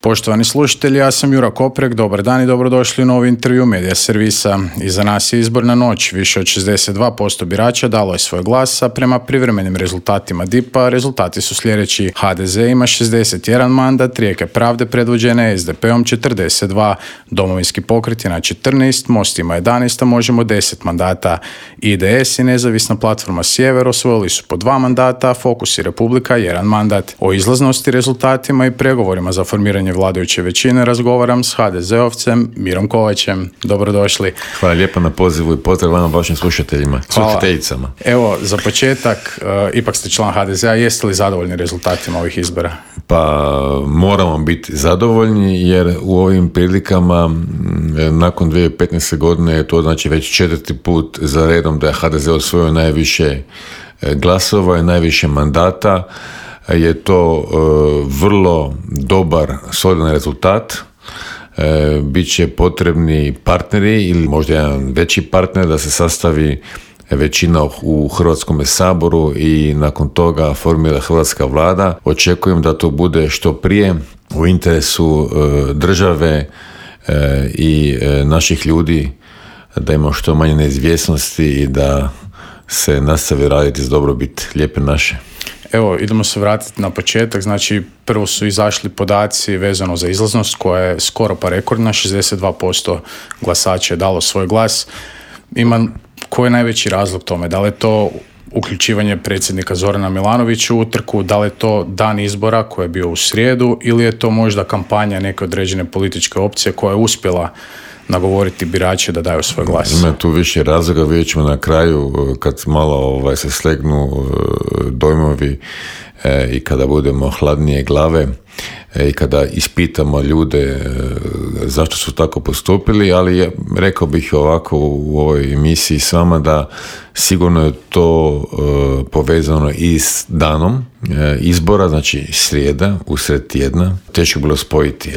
Poštovani slušatelji, ja sam Jura Koprek, dobar dan i dobrodošli u novi intervju Medija servisa. Iza nas je izborna noć, više od 62% birača dalo je svoj glas, a prema privremenim rezultatima DIP-a rezultati su sljedeći. HDZ ima 61 mandat, Rijeke pravde predvođene SDP-om 42, Domovinski pokret je na 14, Most ima 11, a Možemo 10 mandata. IDS i Nezavisna platforma Sjever osvojili su po 2 mandata, a Fokus i Republika 1 mandat. O izlaznosti, rezultatima i pregovorima za formiranje vladajuće većine razgovaram s HDZ-ovcem Mirom Kovačem. Dobrodošli. Hvala lijepo na pozivu i pozdrav vama vašim slušateljima, slušateljicama. Evo, za početak, ipak ste član HDZ-a, jeste li zadovoljni rezultatima ovih izbora? Pa moramo biti zadovoljni jer u ovim prilikama nakon 2015. godine to znači već 4. put za redom da je HDZ osvojio najviše glasova i najviše mandata. Je to vrlo dobar, solidan rezultat. Biće potrebni partneri ili možda jedan veći partner da se sastavi većina u Hrvatskom saboru i nakon toga formira hrvatska vlada. Očekujem da to bude što prije u interesu države i naših ljudi, da ima što manje neizvjesnosti i da se nastavi raditi za dobrobit Lijepe naše. Evo, idemo se vratiti na početak. Znači, prvo su izašli podaci vezano za izlaznost koja je skoro pa rekordna, 62% glasača je dalo svoj glas. Koji je najveći razlog tome? Da li je to uključivanje predsjednika Zorana Milanovića u utrku, da li je to dan izbora koji je bio u srijedu ili je to možda kampanja neke određene političke opcije koja je uspjela nagovoriti birače da daju svoj glas? Ima tu više razloga, vidjet ćemo na kraju kad malo se slegnu dojmovi i kada budemo hladnije glave i kada ispitamo ljude zašto su tako postupili, ali rekao bih ovako u ovoj emisiji s vama da sigurno je to povezano i s danom izbora, znači srijeda, usred tjedna. Teško bilo spojiti,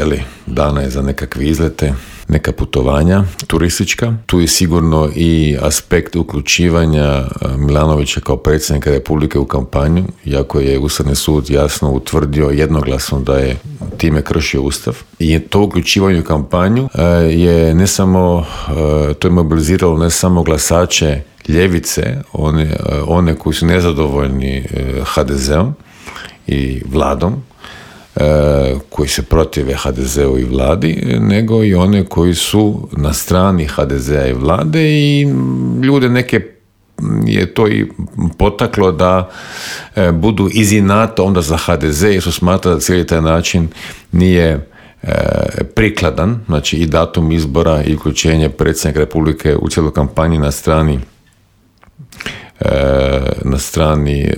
dana je za nekakve izlete, neka putovanja turistička. Tu je sigurno i aspekt uključivanja Milanovića kao predsjednika Republike u kampanju, iako je Ustavni sud jasno utvrdio jednoglasno da je time kršio Ustav. I to uključivanje u kampanju je ne samo, to je mobiliziralo ne samo glasače ljevice, one koji su nezadovoljni HDZ-om i vladom, koji se protive HDZ-u i vladi, nego i one koji su na strani HDZ-a i vlade i ljude neke je to i potaklo da budu iz inata onda za HDZ jer su smatrali da cijeli taj način nije prikladan, znači i datum izbora i uključenje predsjednika Republike u cijelu kampanju na strani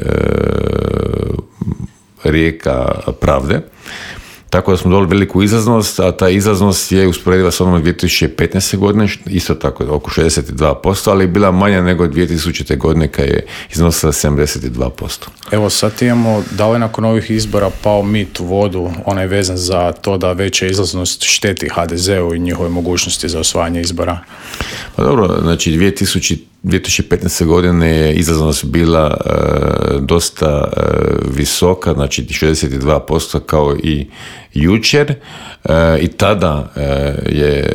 Rijeka pravde. Tako da smo dobili veliku izlaznost, a ta izlaznost je usporediva s onom 2015. godine, isto tako oko 62%, ali je bila manja nego 2000. godine kad je iznosila 72%. Evo sad imamo, da li nakon ovih izbora pao mit u vodu, onaj vezan za to da veća izlaznost šteti HDZ-u i njihove mogućnosti za osvajanje izbora? Pa dobro, znači 2015. godine je izlaznost bila dosta visoka, znači 62% kao i jučer i tada je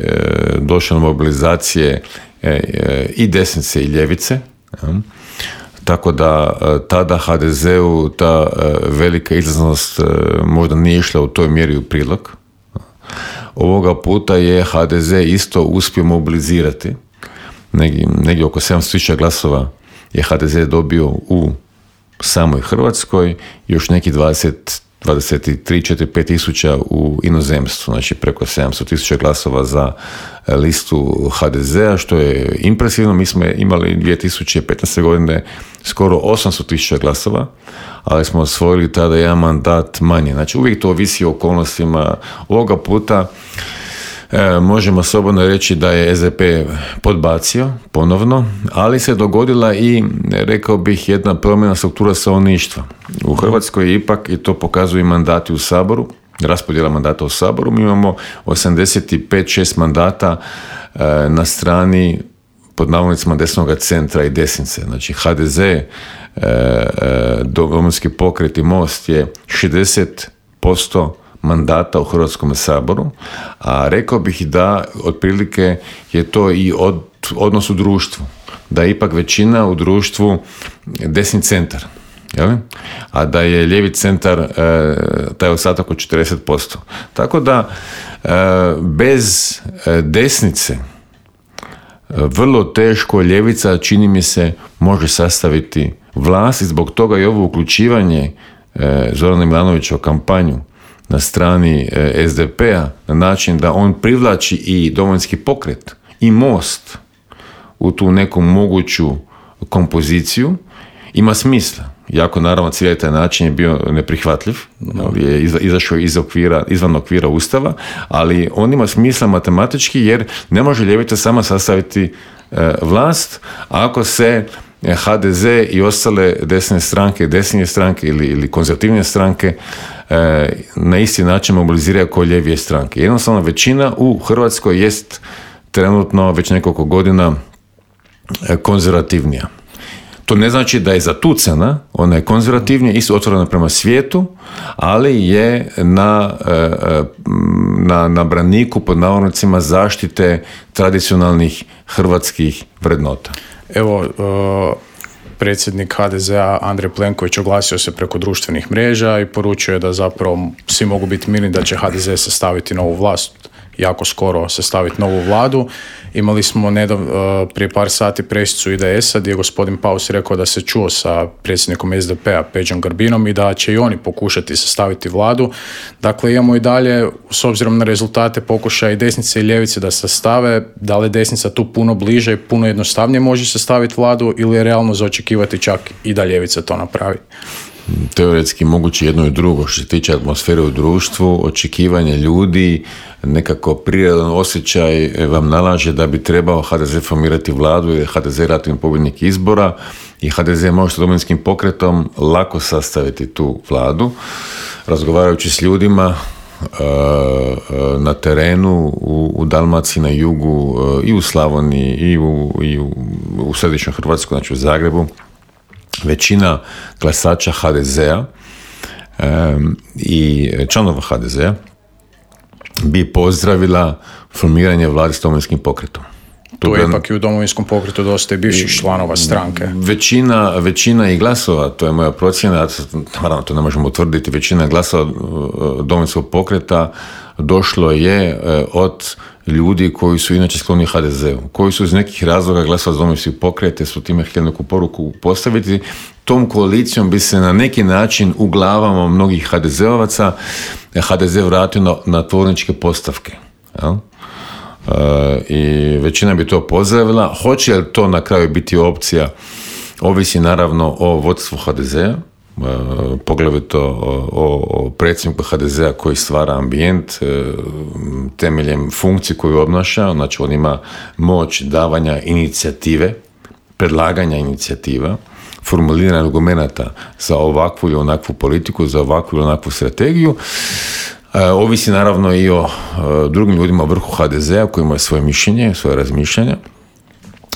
došlo do mobilizacije i desnice i ljevice. Tako da tada HDZ-u ta velika izlaznost možda nije išla u toj mjeri u prilog. Ovoga puta je HDZ isto uspio mobilizirati. Negdje oko 700.000 glasova je HDZ dobio u samoj Hrvatskoj, još neki 23-4-5 tisuća u inozemstvu, znači preko 700.000 glasova za listu HDZ-a, što je impresivno. Mi smo imali 2015. godine skoro 800.000 glasova, ali smo osvojili tada jedan mandat manje. Znači uvijek to ovisi o okolnostima. Ovoga puta možemo slobodno reći da je SDP podbacio ponovno, ali se dogodila i, rekao bih, jedna promjena struktura stanovništva. U Hrvatskoj ipak, i to pokazuju mandati u Saboru, raspodjela mandata u Saboru, mi imamo 85-6 mandata na strani pod navodnicima desnog centra i desnice. Znači HDZ, Domovinski pokret i Most je 60% mandata u Hrvatskom saboru, a rekao bih da otprilike je to i odnos u društvu, da je ipak većina u društvu desni centar, jel? A da je lijevi centar taj ostatak od 40%. Tako da bez desnice vrlo teško ljevica, čini mi se, može sastaviti vlast i zbog toga i ovo uključivanje Zorana Milanovića u kampanju na strani SDP-a na način da on privlači i Domovinski pokret i Most u tu neku moguću kompoziciju ima smisla. Jako naravno cijeli taj način je bio neprihvatljiv, je izašao izvan okvira Ustava, ali on ima smisla matematički jer ne može ljevica sama sastaviti vlast ako se HDZ i ostale desne stranke, desnije stranke ili konzervativne stranke na isti način mobiliziraju kao lijevije stranke. Jednostavno većina u Hrvatskoj jest trenutno već nekoliko godina konzervativnija. To ne znači da je zatucana, ona je konzervativnija, isto otvorena prema svijetu, ali je na braniku, pod navodnicima, zaštite tradicionalnih hrvatskih vrednota. Evo, predsjednik HDZ-a Andrej Plenković oglasio se preko društvenih mreža i poručio je da zapravo svi mogu biti mirni da će HDZ sastaviti novu vlast, jako skoro sastaviti novu vladu. Imali smo prije par sati pressicu IDS-a gdje je gospodin Paus rekao da se čuo sa predsjednikom SDP-a Peđom Grbinom i da će i oni pokušati sastaviti vladu. Dakle, imamo i dalje, s obzirom na rezultate pokušaja i desnice i ljevice da sastave, da li desnica tu puno bliže i puno jednostavnije može sastaviti vladu ili je realno za očekivati čak i da ljevica to napravi? Teoretski moguće jedno i drugo. Što se tiče atmosfere u društvu, očekivanje ljudi, nekako prirodan osjećaj vam nalaže da bi trebao HDZ formirati vladu jer HDZ je relativni pobjednik izbora i HDZ može sa Domovinskim pokretom lako sastaviti tu vladu. Razgovarajući s ljudima na terenu, u Dalmaciji, na jugu, i u Slavoniji, i u središnjoj Hrvatskoj, znači u Zagrebu, većina glasača HDZ-a i članova HDZ-a bi pozdravila formiranje vlade s Domovinskim pokretom. Tu je ipak i u Domovinskom pokretu dosta i bivših članova stranke. Većina i glasova, to je moja procjena, naravno to ne možemo utvrditi, većina glasova Domovinskog pokreta došlo je od ljudi koji su inače skloni HDZ-u, koji su iz nekih razloga glasovali za Domovinski pokret, su time htjeli neku poruku postaviti. Tom koalicijom bi se na neki način u glavama mnogih HDZ-ovaca HDZ vratio na tvorničke postavke. Jel? I većina bi to pozdravila. Hoće li to na kraju biti opcija, ovisi naravno o vodstvu HDZ-a, poglavito o predsjedniku HDZ-a koji stvara ambijent temeljem funkcije koju obnaša, znači on ima moć davanja inicijative, predlaganja inicijativa, formuliranja argumenata za ovakvu ili onakvu politiku, za ovakvu ili onakvu strategiju. Ovisi naravno i o drugim ljudima u vrhu HDZ-a koji imaju svoje mišljenje, svoje razmišljanja,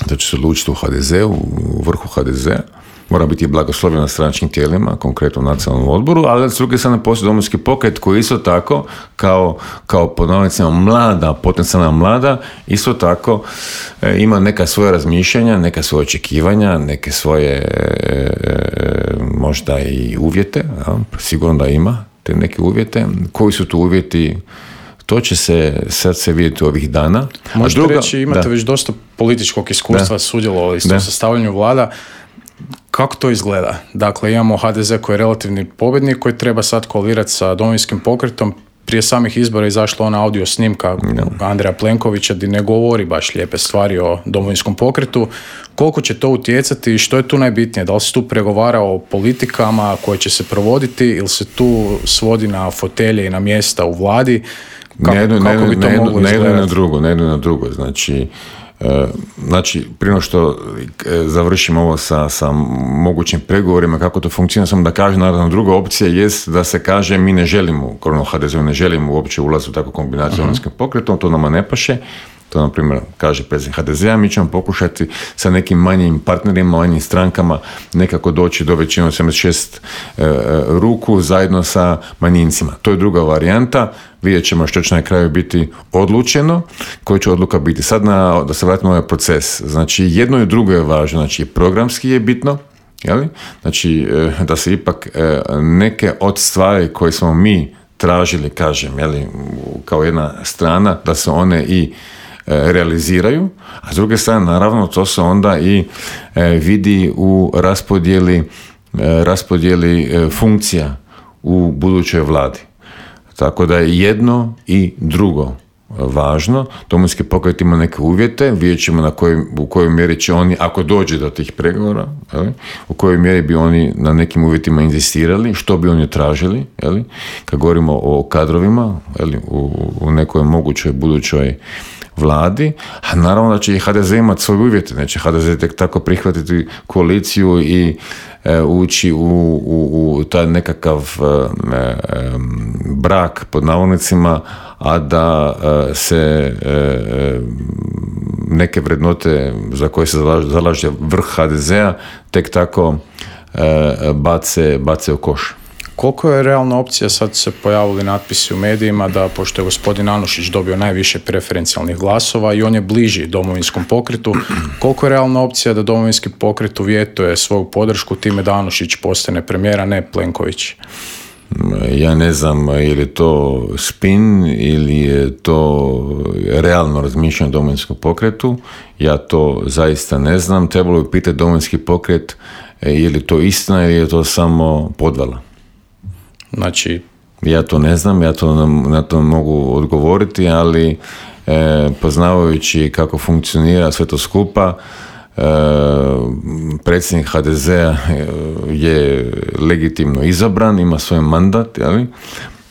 da će se odlučiti u HDZ-u, u vrhu HDZ-a. Mora biti blagoslovljen na stranačkim tijelima, konkretno u nacionalnom odboru, ali s druge strane postoji Domovinski pokret koji isto tako, kao pod navodnicima mlada, potencijalna mlada, isto tako ima neka svoja razmišljanja, neka svoja očekivanja, neke svoje možda i uvjete, ja, sigurno da ima te neke uvjete. Koji su tu uvjeti? To će se sad vidjeti ovih dana. Možete reći, imate već dosta političkog iskustva, sudjelovali ste u sastavljanju vlada. Kako to izgleda? Dakle, imamo HDZ koji je relativni pobjednik, koji treba sad koalirati sa Domovinskim pokretom. Prije samih izbora izašla ona audio snimka Andreja Plenkovića gdje ne govori baš lijepe stvari o Domovinskom pokretu. Koliko će to utjecati i što je tu najbitnije? Da li se tu pregovara o politikama koje će se provoditi ili se tu svodi na fotelje i na mjesta u vladi? Kako bi to moglo izgledati? Ne jedno na drugo. Znači, prije što završimo ovo sa mogućim pregovorima, kako to funkcionira, samo da kažem, naravno, druga opcija jest da se kaže mi ne želimo, HDZ ne želimo uopće ulaz u takvu kombinaciju s Domovinskim pokretom, to nama ne paše. To, na primjer, kaže predsjednik HDZ-a, mi ćemo pokušati sa nekim manjim partnerima, manjim strankama nekako doći do većine 76 ruku zajedno sa manjincima. To je druga varijanta. Vidjet ćemo što će na kraju biti odlučeno, koja će odluka biti. Sad da se vratimo na ovaj proces. Znači, jedno i drugo je važno. Znači, programski je bitno, jeli? Znači, da se ipak neke od stvari koje smo mi tražili, kažem, jeli, kao jedna strana, da se one i realiziraju, a s druge strane, naravno, to se onda i vidi u raspodjeli funkcija u budućoj vladi. Tako da je jedno i drugo važno. Domovinski pokret ima neke uvjete, vidjet ćemo u kojoj mjeri će oni, ako dođe do tih pregovora, u kojoj mjeri bi oni na nekim uvjetima inzistirali, što bi oni tražili, kad govorimo o kadrovima, u nekoj mogućoj budućoj vladi, a naravno da će i HDZ imati svoje uvjete, neće HDZ tek tako prihvatiti koaliciju i ući u taj nekakav brak pod navodnicima, a da se neke vrednote za koje se zalaže vrh HDZ-a tek tako bace u koš. Koliko je realna opcija, sad se pojavili natpisi u medijima da, pošto je gospodin Anušić dobio najviše preferencijalnih glasova i on je bliži Domovinskom pokretu, koliko je realna opcija da Domovinski pokret uvjetuje svoju podršku time da Anušić postane premijer, a ne Plenković? Ja ne znam je li to spin ili je to realno razmišljanje o Domovinskom pokretu. Ja to zaista ne znam. Trebalo bi pitati Domovinski pokret je li to istina ili je to samo podvala. Znači, ja to ne znam, ja to na to mogu odgovoriti, ali poznavajući kako funkcionira sve to skupa, predsjednik HDZ-a je legitimno izabran, ima svoj mandat, jeli?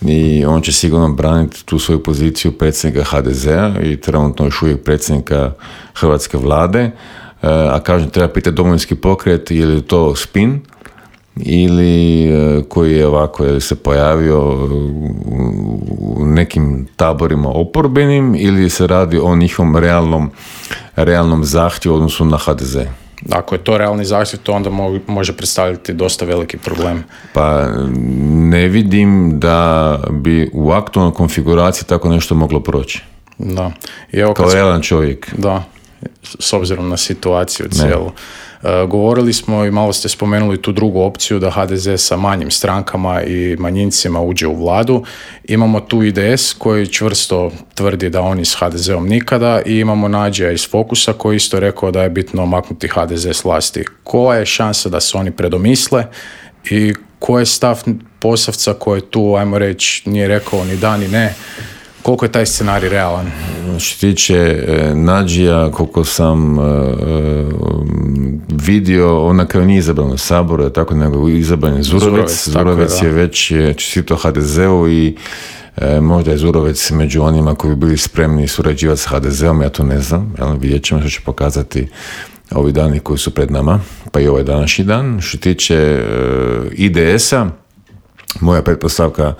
I on će sigurno braniti tu svoju poziciju predsjednika HDZ-a i trenutno još uvijek predsjednika hrvatske vlade, a kažem, treba pitati Domovinski pokret je li to spin ili koji je ovako je se pojavio u nekim taborima oporbenim ili se radi o njihovom realnom zahtjevu u odnosu na HDZ. Ako je to realni zahtjev, to onda može predstavljati dosta veliki problem. Pa ne vidim da bi u aktualnoj konfiguraciji tako nešto moglo proći. Da. I evo kao realan čovjek. Da, s obzirom na situaciju cijelu. Govorili smo i malo ste spomenuli tu drugu opciju da HDZ sa manjim strankama i manjincima uđe u vladu. Imamo tu IDS koji čvrsto tvrdi da oni s HDZ-om nikada i imamo Nađija iz Fokusa koji isto rekao da je bitno maknuti HDZ s vlasti. Koja je šansa da se oni predomisle i koji je stav Posavca koji tu, ajmo reći, nije rekao ni da ni ne? Koliko je taj scenarij realan? Što tiče Nađija, koliko sam vidio, on na kraju nije izabran u Saboru, tako nego izabran je Zurovec. Zurovec je već čestito HDZ-u i možda je Zurovec među onima koji bi bili spremni surađivati s HDZ-om, ja to ne znam. Vidjet ćemo što će pokazati ovi dani koji su pred nama, pa i ovaj današnji dan. Što tiče IDS-a, moja pretpostavka,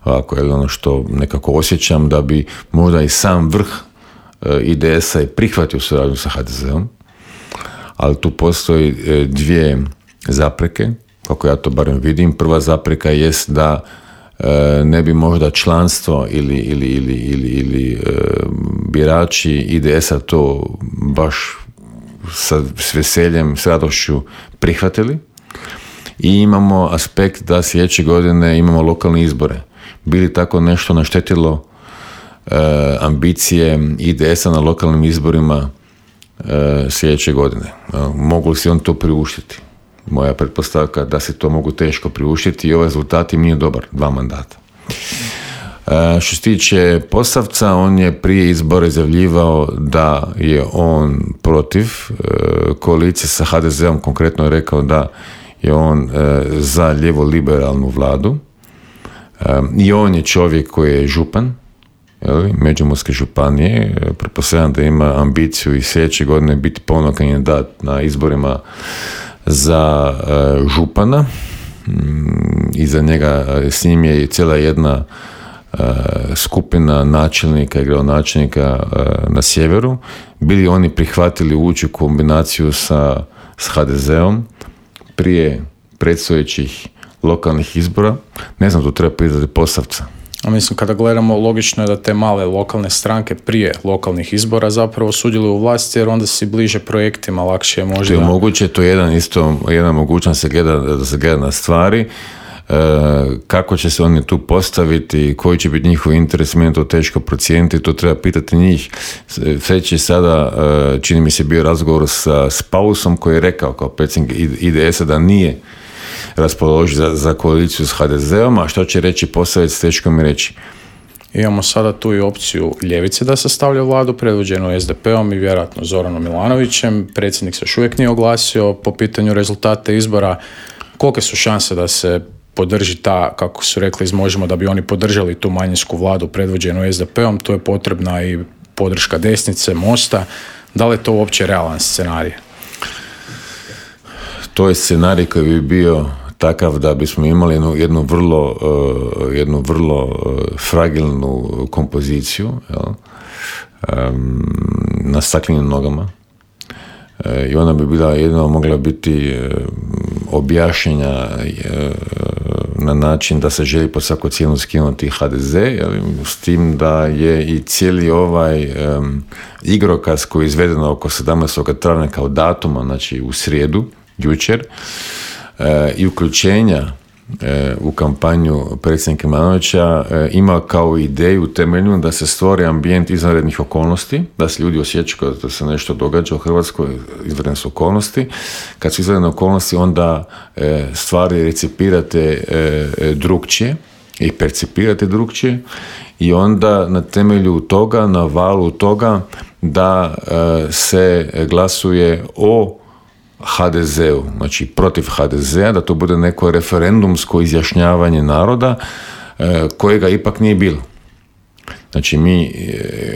ovako je ono što nekako osjećam, da bi možda i sam vrh IDS-a i prihvatio suradnju sa HDZ-om, ali tu postoji dvije zapreke, kako ja to barem vidim. Prva zapreka jest da ne bi možda članstvo ili birači IDS-a to baš s veseljem, s radošću prihvatili. I imamo aspekt da sljedeće godine imamo lokalne izbore. Bili tako nešto naštetilo ambicije IDS-a na lokalnim izborima sljedeće godine? Mogu li si on to priuštiti? Moja pretpostavka da se to mogu teško priuštiti i ovaj rezultat im nije dobar, 2 mandata. Što se tiče Posavca, on je prije izbora izjavljivao da je on protiv koalicije sa HDZ-om, konkretno je rekao da je on za lijevo-liberalnu vladu. I on je čovjek koji je župan Međimurske županije. Pretpostavljam da ima ambiciju i sljedeće godine biti ponovno kandidat na izborima za župana. Iza njega s njim je cijela jedna skupina načelnika i gradonačelnika na sjeveru, bili oni prihvatili ući u kombinaciju sa HDZ-om prije predstojećih lokalnih izbora. Ne znam, tu treba pitati Posavca. A mislim, kada gledamo, logično je da te male lokalne stranke prije lokalnih izbora zapravo sudjeluju u vlasti, jer onda si bliže projektima, lakše je možda... To je moguće, to je jedna mogućnost da se gleda na stvari. Kako će se oni tu postaviti, koji će biti njihov interes, meni to teško procijeniti, to treba pitati njih. Već je sada, čini mi se, bio razgovor s Pausom koji je rekao kao predsjednik IDS-a da nije raspoložen za koaliciju s HDZ-om, a što će reći Posavec, teško mi reći. Imamo sada tu i opciju ljevice da sastavlja vladu, predvođenu SDP-om i vjerojatno Zoranom Milanovićem. Predsjednik se još uvijek nije oglasio po pitanju rezultata izbora. Kolike su šanse da se podrži ta, kako su rekli iz Možemo, da bi oni podržali tu manjinsku vladu predvođenu SDP-om? Tu je potrebna i podrška desnice, Mosta. Da li je to uopće realan scenarij? To je scenarij koji bi bio takav da bismo imali jednu vrlo fragilnu kompoziciju, na staklenim nogama, i ona bi bila jedino mogla biti objašnjenja na način da se želi pod svaku cijenu skinuti HDZ, s tim da je i cijeli ovaj igrokaz koji je izveden oko 17. travnja kao datuma, znači u srijedu, jučer, i uključenja u kampanju predsjednika Milanovića ima kao ideju temeljnu da se stvori ambijent izvanrednih okolnosti, da se ljudi osjećaju da se nešto događa u Hrvatskoj, izvanredne su okolnosti. Kad su izvanredne okolnosti, onda stvari recipirate drukčije i percipirate drukčije, i onda na temelju toga, na valu toga, da se glasuje o HDZ-u, znači protiv HDZ-a, da to bude neko referendumsko izjašnjavanje naroda kojega ipak nije bilo. Znači mi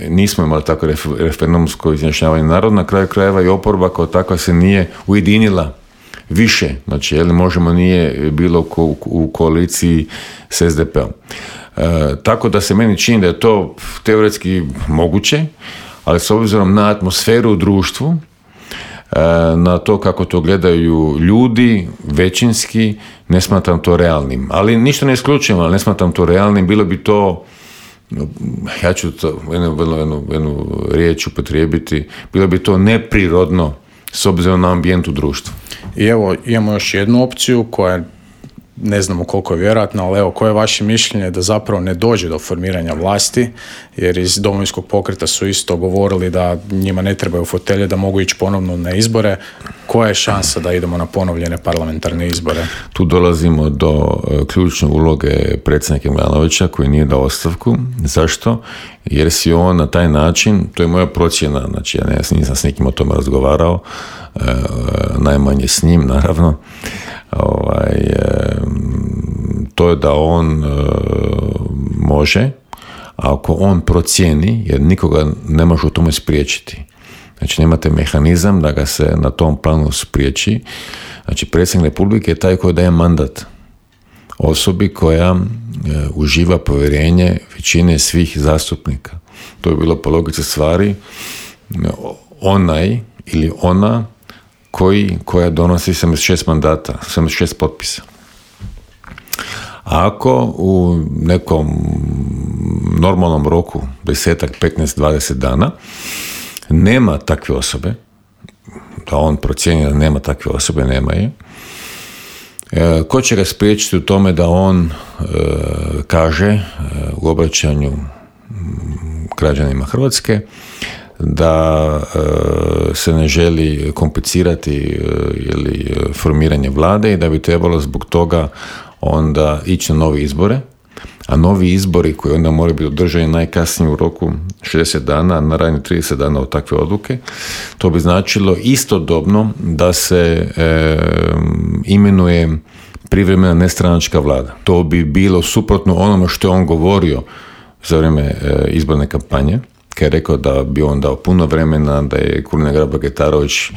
nismo imali tako referendumsko izjašnjavanje naroda, na kraju krajeva i oporba kao takva se nije ujedinila više, znači Možemo nije bilo u koaliciji s SDP-om. Tako da se meni čini da je to teoretski moguće, ali s obzirom na atmosferu u društvu, na to kako to gledaju ljudi, većinski, ne smatram to realnim. Ali ništa ne isključujem, ali ne smatram to realnim. Bilo bi to, ja ću to jednu riječ upotrijebiti, bilo bi to neprirodno s obzirom na ambijent u društvu. I evo, imamo još jednu opciju koja ne znamo koliko je vjerojatno, ali evo, koje je vaše mišljenje da zapravo ne dođe do formiranja vlasti, jer iz Domovinskog pokreta su isto govorili da njima ne trebaju fotelje, da mogu ići ponovno na izbore. Koja je šansa da idemo na ponovljene parlamentarne izbore? Tu dolazimo do ključne uloge predsjednika Milanovića koji nije dao ostavku. Zašto? Jer si on na taj način, to je moja procjena, znači ja nisam s nikim o tome razgovarao, najmanje s njim naravno, to je da on može, ako on procijeni, jer nikoga ne može u tome spriječiti. Znači nemate mehanizam da ga se na tom planu spriječi. Znači predsjednik Republike je taj koji daje mandat osobi koja uživa povjerenje većine svih zastupnika. To je bilo po logici stvari onaj ili ona koja donosi 76 mandata, 76 potpisa. Ako u nekom normalnom roku, 10, 15, 20 dana, nema takve osobe, da on procijeni da nema takve osobe, nema je, ko će ga spriječiti u tome da on kaže u obraćanju građanima Hrvatske da se ne želi komplicirati ili formiranje vlade i da bi trebalo zbog toga onda ići na novi izbore, a novi izbori koji onda moraju biti održani najkasnije u roku 60 dana, naravno 30 dana od takve odluke, to bi značilo istodobno da se imenuje privremena nestranačka vlada. To bi bilo suprotno onome što je on govorio za vrijeme izborne kampanje, kad je rekao da bi on dao puno vremena, da je Kulina Grabar-Kitarović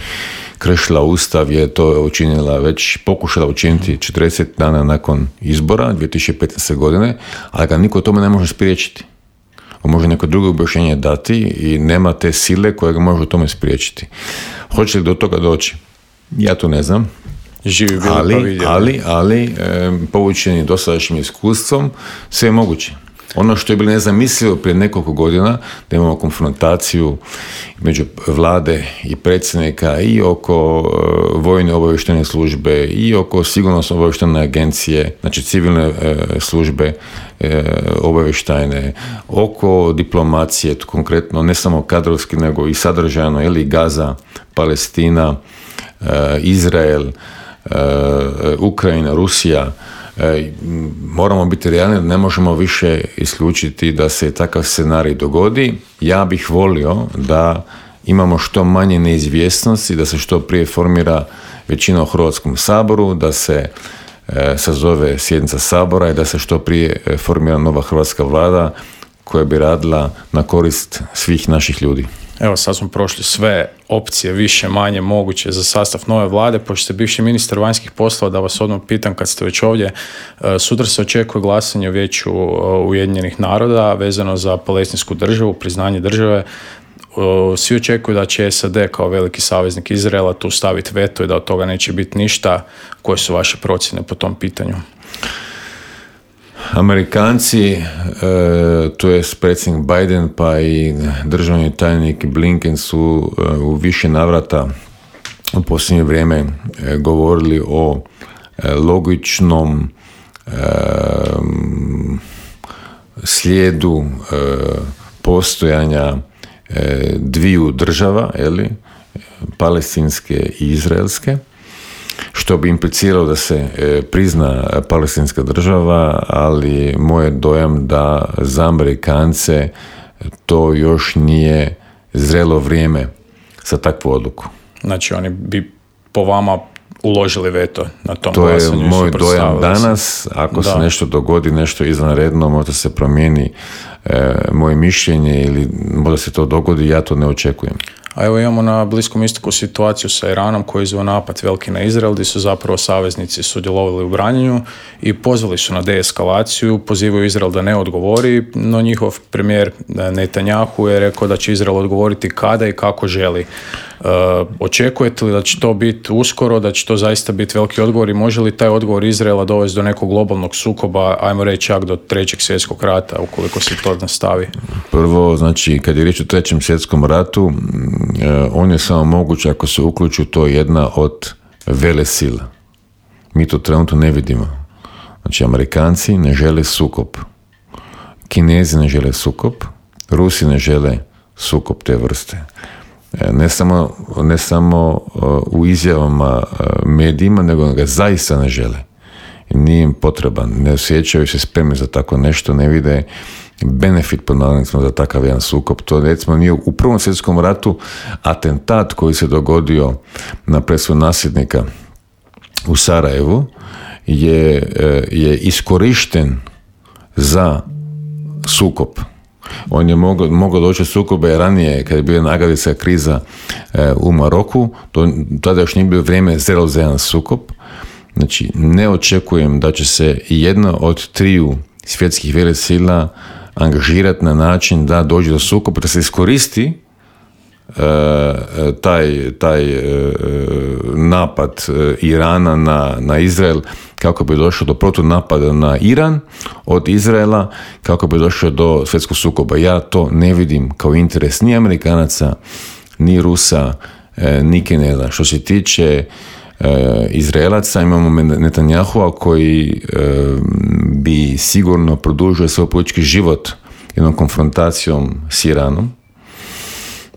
kršila ustav, je to učinila već, pokušala učiniti 40 dana nakon izbora 2015. godine, ali ga niko tome ne može spriječiti. On može neko drugo objašnjenje dati i nema te sile koja ga može u tome spriječiti. Hoće li do toga doći? Ja to ne znam. Živi bili pa vidjeli. Ali povučeni dosadašnjim iskustvom, sve je moguće. Ono što je bilo nezamislivo prije nekoliko godina, da imamo konfrontaciju među vlade i predsjednika i oko vojne obavještajne službe i oko sigurnosno obavještajne agencije, znači civilne službe obavještajne, oko diplomacije, konkretno ne samo kadrovski nego i sadržajno, ili Gaza, Palestina, Izrael, Ukrajina, Rusija. Moramo biti realni, ne možemo više isključiti da se takav scenarij dogodi. Ja bih volio da imamo što manje neizvjesnosti, da se što prije formira većina u Hrvatskom saboru, da se sazove sjednica Sabora i da se što prije formira nova hrvatska vlada koja bi radila na korist svih naših ljudi. Evo, sad smo prošli sve opcije, više, manje moguće za sastav nove vlade. Pošto ste bivši ministar vanjskih poslova, da vas odmah pitam kad ste već ovdje, sutra se očekuje glasanje u Vijeću Ujedinjenih naroda vezano za palestinsku državu, priznanje države. Svi očekuju da će SAD kao veliki saveznik Izraela tu staviti veto i da od toga neće biti ništa. Koje su vaše procjene po tom pitanju? Amerikanci, to je predsjednik Biden pa i državni tajnik Blinken su u više navrata u posljednje vrijeme govorili o logičnom slijedu postojanja dviju država, palestinske i izraelske, što bi impliciralo da se prizna palestinska država, ali moj je dojam da za Amerikance to još nije zrelo vrijeme za takvu odluku. Znači oni bi po vama uložili veto na tom glasanju. To je moj dojam danas. Ako se nešto dogodi, nešto izvanredno, možda se promijeni moje mišljenje ili možda se to dogodi, ja to ne očekujem. A evo imamo na Bliskom istoku situaciju sa Iranom koji je izveo napad veliki na Izrael, gdje su zapravo saveznici sudjelovali u branjenju i pozvali su na deeskalaciju, pozivaju Izrael da ne odgovori, no njihov premijer Netanjahu je rekao da će Izrael odgovoriti kada i kako želi. Očekujete li da će to biti uskoro, da će to zaista biti veliki odgovor i može li taj odgovor Izraela dovesti do nekog globalnog sukoba, ajmo reći čak do 3. svjetskog rata, ukoliko se to nastavi? Prvo, znači, kad je riječ o 3. svjetskom ratu, on je samo moguć ako se uključi to jedna od velesila. Mi to trenutno ne vidimo. Znači, Amerikanci ne žele sukob, Kinezi ne žele sukob, Rusi ne žele sukob te vrste. Ne samo u izjavama medijima, nego ga zaista ne žele. Nije im potreban, ne osjećaju se spremni za tako nešto, ne vide benefit pod navodnicima za takav jedan sukob. To recimo nije u Prvom svjetskom ratu atentat koji se dogodio na presudu nasljednika u Sarajevu je iskorišten za sukob. On je mogao doći sukobe ranije kad je bila nagadica kriza u Maroku, tada još nije bilo vrijeme za jedan sukob. Znači, ne očekujem da će se jedna od 3 svjetskih velesila angažirati na način da dođe do sukoba, da se iskoristi taj napad Irana na Izrael kako bi došlo do protunapada na Iran od Izraela, kako bi došlo do svjetskog sukoba. Ja to ne vidim kao interes ni Amerikanaca, ni Rusa, ni Kineza. Što se tiče Izraelaca, imamo Netanjahua koji bi sigurno produžio svoj politički život jednom konfrontacijom s Iranom.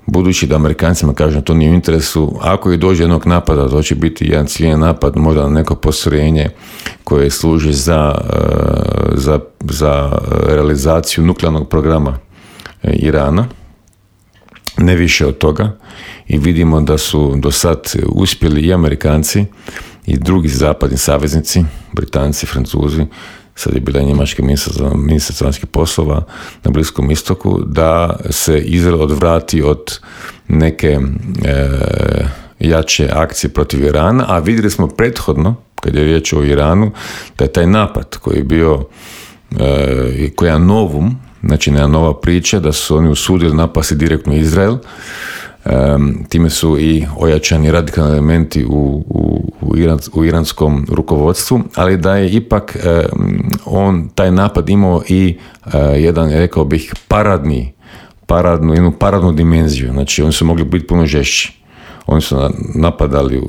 Budući da Amerikancima kažem to nije u interesu, ako i dođe jednog napada, to će biti jedan ciljan napad, možda na neko postrojenje koje služi za realizaciju nuklearnog programa Irana, ne više od toga. I vidimo da su do sad uspjeli i Amerikanci i drugi zapadni saveznici, Britanci, Francuzi, sad je bila njemačka ministrica vanjskih poslova na Bliskom istoku, da se Izrael odvrati od neke jače akcije protiv Irana, a vidjeli smo prethodno, kad je riječ o Iranu, da je taj napad koji je bio koji je novum, znači neka nova priča, da su oni usudili napasti direktno Izrael. Time su i ojačani radikalni elementi u iranskom rukovodstvu, ali da je ipak taj napad imao i jedan, rekao bih, jednu paradnu dimenziju. Znači oni su mogli biti puno žešći. Oni su napadali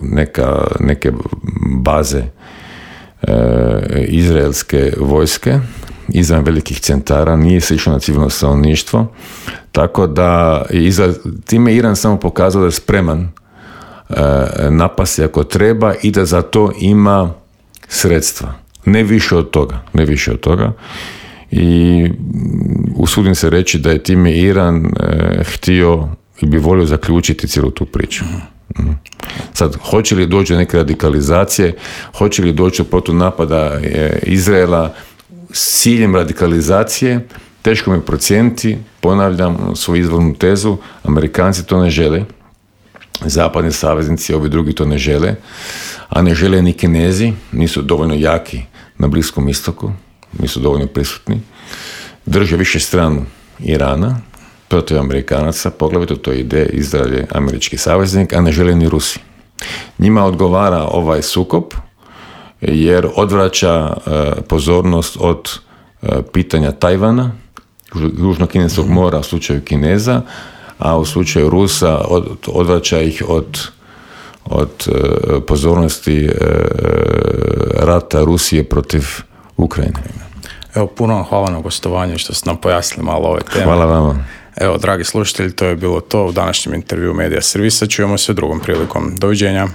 neke baze izraelske vojske izvan velikih centara, nije se išlo na civilno stanovništvo, tako da time Iran samo pokazao da je spreman napasti ako treba i da za to ima sredstva. Ne više od toga. I usudim se reći da je time Iran htio i bi volio zaključiti cijelu tu priču. Sad, hoće li doći do neke radikalizacije, hoće li doći do protunapada Izraela s ciljem radikalizacije, teško mi procijeniti. Ponavljam svoju izvornu tezu, Amerikanci to ne žele, zapadni saveznici, ovi drugi to ne žele, a ne žele ni Kinezi, nisu dovoljno jaki na Bliskom istoku, nisu dovoljno prisutni, drže više stranu Irana protiv Amerikanaca, poglavito to ide Izrael je američki saveznik, a ne žele ni Rusi. Njima odgovara ovaj sukob jer odvraća pozornost od pitanja Tajvana, Južno-Kineskog mora u slučaju Kineza, a u slučaju Rusa odvraća ih od pozornosti rata Rusije protiv Ukrajine. Evo, puno vam hvala na gostovanje što ste nam pojasnili malo ove teme. Hvala vama. Evo, dragi slušatelji, to je bilo to u današnjem intervju Medija Servisa. Čujemo se drugom prilikom. Doviđenja.